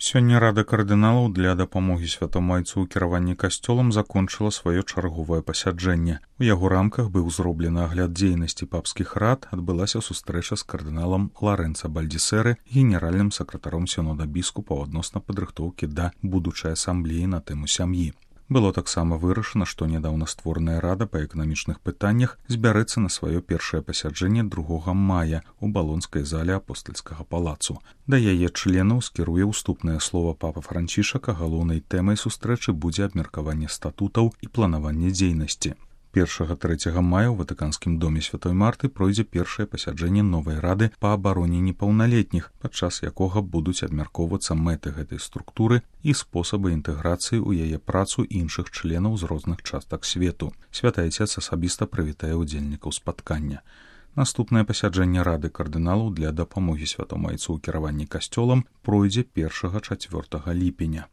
Сёння Рада кардыналаў для дапамогі святому айцу ў кіраванні касцёлам закончыла сваё чарговае пасяджэнне. У яго рамках быў зроблены агляд дзейнасці папскіх рад, адбылася сустрэча з кардыналам Ларэнца Бальдзісэры, генеральным сакратаром сінода біскупаў адносна падрыхтоўкі да будучай асамблеі на тэму сям'і. Было таксама вырашана, што нядаўна створаная рада па эканамічных пытаннях збярэцца на сваё першае пасяджэнне 2 мая ў балонскай зале апостальскага палацу. Да яе членаў скіруе ўступнае слова папа Францішак, а галоўнай тэмай сустрэчы будзе абмеркаванне статутаў і планаванне дзейнасці. 1-3 мая ў Ватыканскім доме Святой Марты пройдзе першае пасяджэнне новай рады па абароне непаўналетніх, падчас якога будуць абмяркоўвацца мэты гэтай структуры і спосабы інтэграцыі ў яе працу іншых членаў з розных частак свету. Святы Айцец асабіста прывітае ўдзельнікаў спаткання. Наступнае пасяджэнне Рады кардыналаў для дапамогі святому айцу ў кіраванні касцёлам пройдзе 1-4 ліпеня.